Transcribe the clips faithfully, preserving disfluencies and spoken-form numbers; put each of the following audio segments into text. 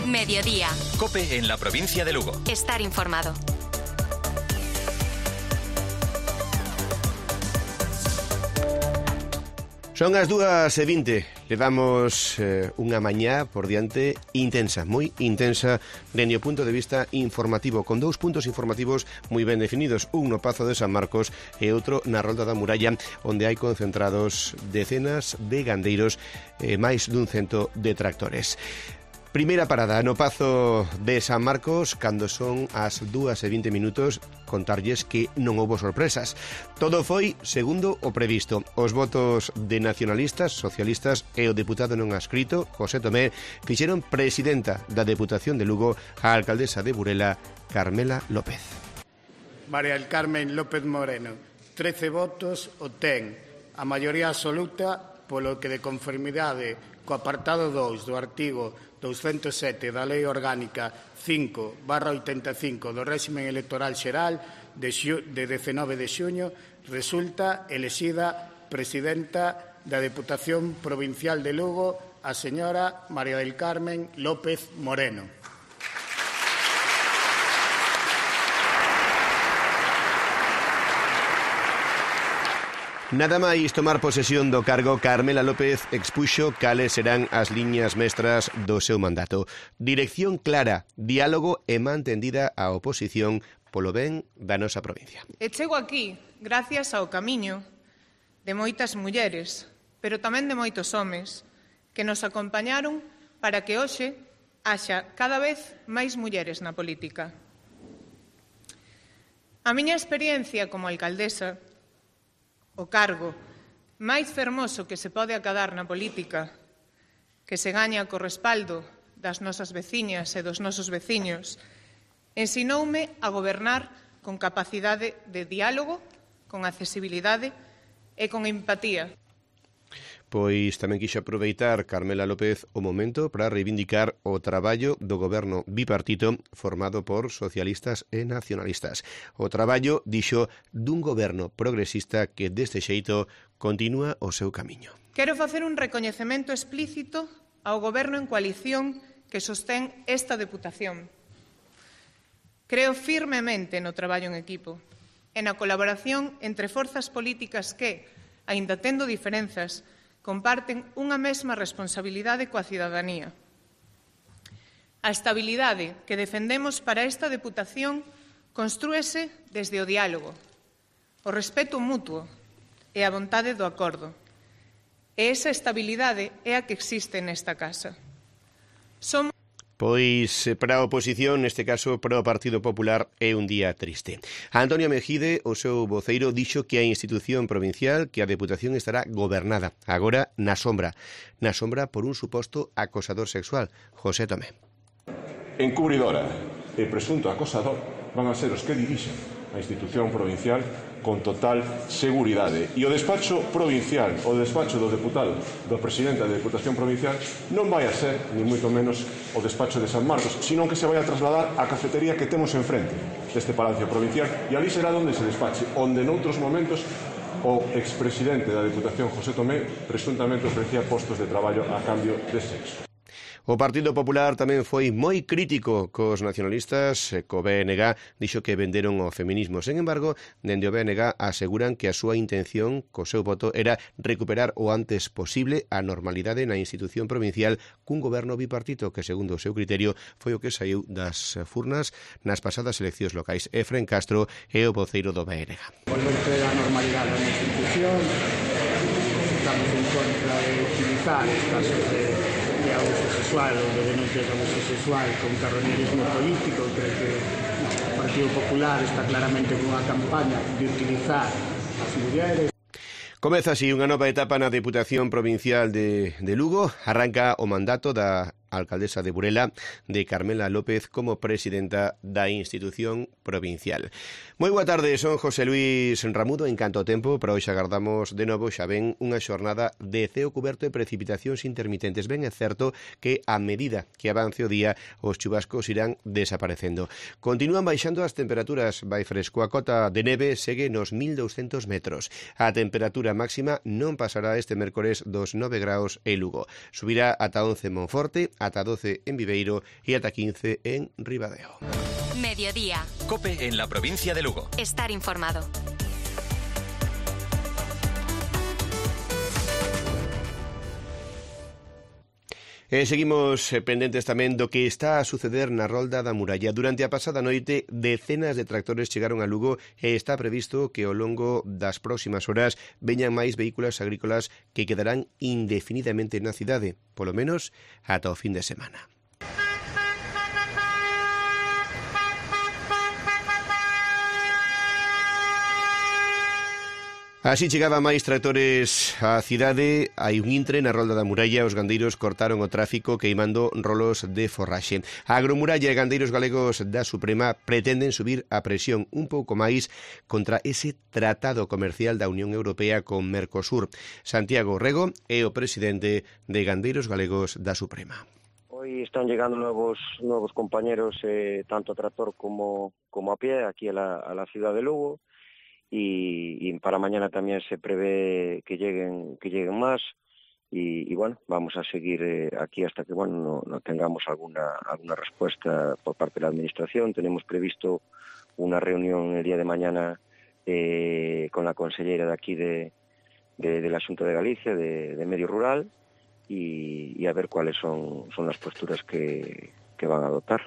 Mediodía. COPE en la provincia de Lugo. Estar informado. Son as dúas e vinte. Levamos eh, unha mañá por diante intensa, moi intensa, dende o punto de vista informativo, con dous puntos informativos moi ben definidos, un no Pazo de San Marcos e outro na Rolda da Muralla, onde hai concentrados decenas de gandeiros e eh, máis dun cento de tractores. Primeira parada no Pazo de San Marcos, cando son as dúas e vinte minutos, contarlles que non houbo sorpresas. Todo foi segundo o previsto. Os votos de nacionalistas, socialistas e o deputado non adscrito, José Tomé, fixeron presidenta da Deputación de Lugo a alcaldesa de Burela, Carmela López. María del Carmen López Moreno, trece votos o ten, a maioría absoluta, polo que de conformidade co apartado dous do artigo douscentos e sete da Lei Orgánica cinco barra oitenta e cinco do réximen electoral xeral de, xu, de dezenove de xuño, resulta elexida presidenta da Deputación Provincial de Lugo a señora María del Carmen López Moreno. Nada máis tomar posesión do cargo, Carmela López expuxo cales serán as liñas mestras do seu mandato. Dirección clara, diálogo e mantendida a oposición polo ben da nosa provincia. E chego aquí gracias ao camiño de moitas mulleres, pero tamén de moitos homes, que nos acompañaron para que hoxe haxa cada vez máis mulleres na política. A miña experiencia como alcaldesa, o cargo máis fermoso que se pode acadar na política, que se gaña co respaldo das nosas veciñas e dos nosos veciños, ensinoume a gobernar con capacidade de diálogo, con accesibilidade e con empatía. Pois tamén quixo aproveitar Carmela López o momento para reivindicar o traballo do goberno bipartito formado por socialistas e nacionalistas. O traballo, dixo, dun goberno progresista que deste xeito continúa o seu camiño. Quero facer un recoñecemento explícito ao goberno en coalición que sostén esta deputación. Creo firmemente no traballo en equipo e na colaboración entre forzas políticas que, aínda tendo diferenzas, comparten unha mesma responsabilidade coa cidadanía. A estabilidade que defendemos para esta deputación constrúese desde o diálogo, o respeto mutuo e a vontade do acordo. E esa estabilidade é a que existe nesta casa. Somos Pois para a oposición, neste caso para o Partido Popular, é un día triste. A Antonio Mejide, o seu voceiro, dixo que a institución provincial, que a Deputación estará gobernada, agora na sombra. Na sombra por un suposto acosador sexual. José Tomé. Encubridora e presunto acosador van a ser os que dirixen a institución provincial con total seguridade. E o despacho provincial, o despacho do deputado, do presidente da Deputación Provincial, non vai a ser, ni moito menos, o despacho de San Marcos, sino que se vai a trasladar á cafetería que temos enfrente deste Palacio Provincial, e ali será onde se despache, onde noutros momentos o expresidente da Deputación, José Tomé, presuntamente ofrecía postos de traballo a cambio de sexo. O Partido Popular tamén foi moi crítico cos nacionalistas, co B N G, dixo que venderon o feminismo. Sen embargo, dende o B N G aseguran que a súa intención co seu voto era recuperar o antes posible a normalidade na institución provincial cun goberno bipartito que, segundo o seu criterio, foi o que saiu das furnas nas pasadas eleccións locais. Efren Castro é o voceiro do B N G. Volverte a normalidade na institución, estamos en contra de utilizar os casos de de abuso sexual ou de denuncias de abuso sexual con carroñerismo político. Creo que no, o Partido Popular está claramente con unha campaña de utilizar as mulleres. Comeza así unha nova etapa na Deputación Provincial de, de Lugo. Arranca o mandato da alcaldesa de Burela, de Carmela López, como presidenta da institución provincial. Moi boa tarde, son José Luis Ramudo. En canto ao tempo, para hoxe agardamos de novo xa ven unha xornada de ceo cuberto e precipitacións intermitentes. Ben é certo que a medida que avance o día, os chubascos irán desaparecendo. Continúan baixando as temperaturas, vai fresco. A cota de neve segue nos mil douscentos metros. A temperatura máxima non pasará este mércores dos nove graus en Lugo. Subirá ata once en Monforte, ata doce en Viveiro e ata quince en Ribadeo. Mediodía. COPE en la provincia de Lugo. Estar informado. E seguimos pendentes tamén do que está a suceder na Rolda da Muralla. Durante a pasada noite, decenas de tractores chegaron a Lugo e está previsto que ao longo das próximas horas veñan máis vehículos agrícolas que quedarán indefinidamente na cidade, polo menos ata o fin de semana. Así chegaban máis tractores á cidade. Hai un intre na Rolda da Muralla. Os gandeiros cortaron o tráfico queimando rolos de forraxe. A Agromuralla e gandeiros galegos da Suprema pretenden subir a presión un pouco máis contra ese tratado comercial da Unión Europea con Mercosur. Santiago Rego é o presidente de Gandeiros Galegos da Suprema. Hoy están llegando nuevos nuevos compañeros, eh, tanto a tractor como, como a pie, aquí a la, a la ciudad de Lugo. Y, y para mañana también se prevé que lleguen que lleguen más y, y bueno, vamos a seguir eh, aquí hasta que bueno no, no tengamos alguna alguna respuesta por parte de la administración. Tenemos previsto una reunión el día de mañana eh, con la consellera de aquí de, de, de la Xunta de Galicia de, de Medio Rural y, y a ver cuáles son, son las posturas que, que van a adoptar.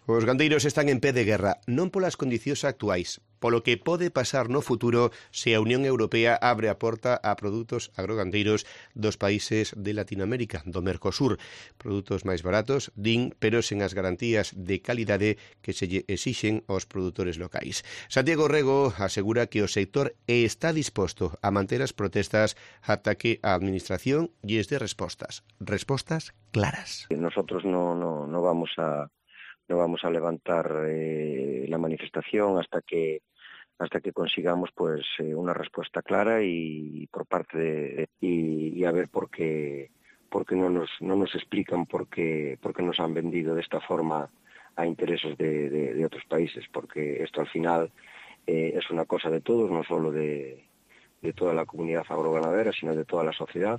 Os gandeiros están en pé de guerra, non polas condicións actuais, polo que pode pasar no futuro se a Unión Europea abre a porta a produtos agrogandeiros dos países de Latinoamérica, do Mercosur. Produtos máis baratos, din, pero sen as garantías de calidade que se lle exixen aos produtores locais. Santiago Rego asegura que o sector está disposto a manter as protestas ata que a Administración lles dé respostas, respostas claras. Nosotros no, no, no vamos a no vamos a levantar eh, la manifestación hasta que hasta que consigamos pues eh, una respuesta clara y por parte de y, y a ver por qué por qué no nos no nos explican por qué por qué nos han vendido de esta forma a intereses de, de, de otros países, porque esto al final eh, es una cosa de todos, no solo de de toda la comunidad agroganadera, sino de toda la sociedad.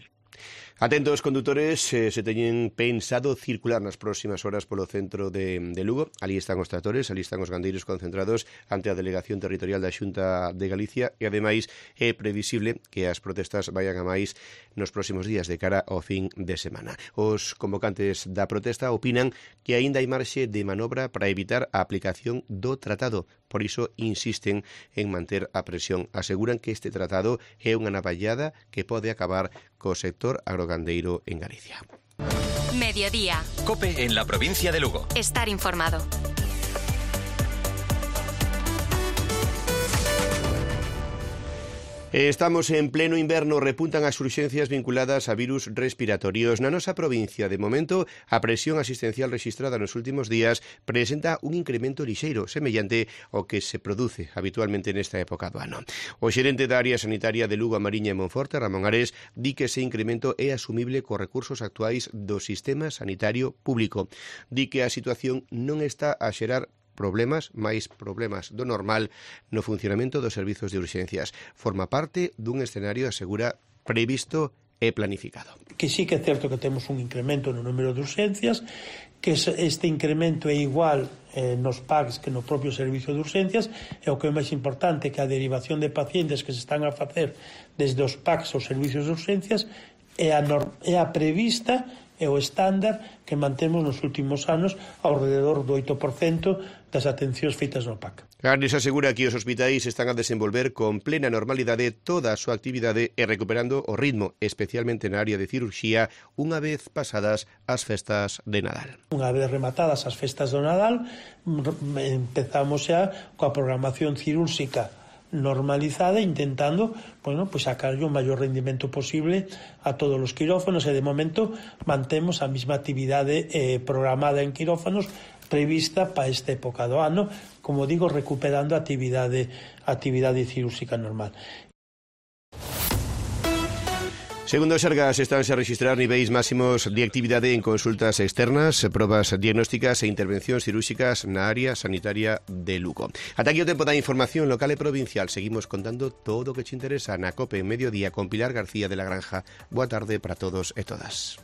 Atentos condutores, eh, se teñen pensado circular nas próximas horas polo centro de, de Lugo. Ali están os tractores, ali están os gandeiros concentrados ante a Delegación Territorial da Xunta de Galicia e, ademais, é previsible que as protestas vayan a máis nos próximos días de cara ao fin de semana. Os convocantes da protesta opinan que aínda hai marxe de manobra para evitar a aplicación do tratado. Por iso insisten en manter a presión. Aseguran que este tratado é unha navallada que pode acabar co sector agrogandeiro en Galicia. Mediodía. COPE en la provincia de Lugo. Estar informado. Estamos en pleno inverno, repuntan as urxencias vinculadas a virus respiratorios. Na nosa provincia, de momento, a presión asistencial registrada nos últimos días presenta un incremento lixeiro, semellante ao que se produce habitualmente nesta época do ano. O xerente da área sanitaria de Lugo, a Mariña e Monforte, Ramón Ares, di que ese incremento é asumible cos recursos actuais do sistema sanitario público. Di que a situación non está a xerar problemas, máis problemas do normal no funcionamento dos servizos de urxencias. Forma parte dun escenario, asegura, previsto e planificado. Que sí que é certo que temos un incremento no número de urxencias, que este incremento é igual eh, nos P A Cs que no propio servicio de urxencias, e o que é máis importante que a derivación de pacientes que se están a facer desde os P A Cs aos servicios de urxencias é a, norm, é a prevista e o estándar que mantemos nos últimos anos ao rededor do oito por cento das atencións feitas no P A C. Ares asegura que os hospitais están a desenvolver con plena normalidade toda a súa actividade e recuperando o ritmo, especialmente na área de cirurxía, unha vez pasadas as festas de Nadal. Unha vez rematadas as festas do Nadal, empezamos xa coa programación cirúrxica normalizada, intentando, bueno, pues sacarlle o maior rendimento posible a todos os quirófanos, e de momento mantemos a mesma actividade eh, programada en quirófanos prevista para esta época do ano, como digo, recuperando a actividade, a actividade cirúrxica normal. Segundo o Sergas, estánse a registrar niveis máximos de actividade en consultas externas, probas diagnósticas e intervencións cirúrxicas na área sanitaria de Lugo. Ata aquí o tempo da información local e provincial. Seguimos contando todo o que te interesa na COPE en Mediodía con Pilar García de la Granja. Boa tarde para todos e todas.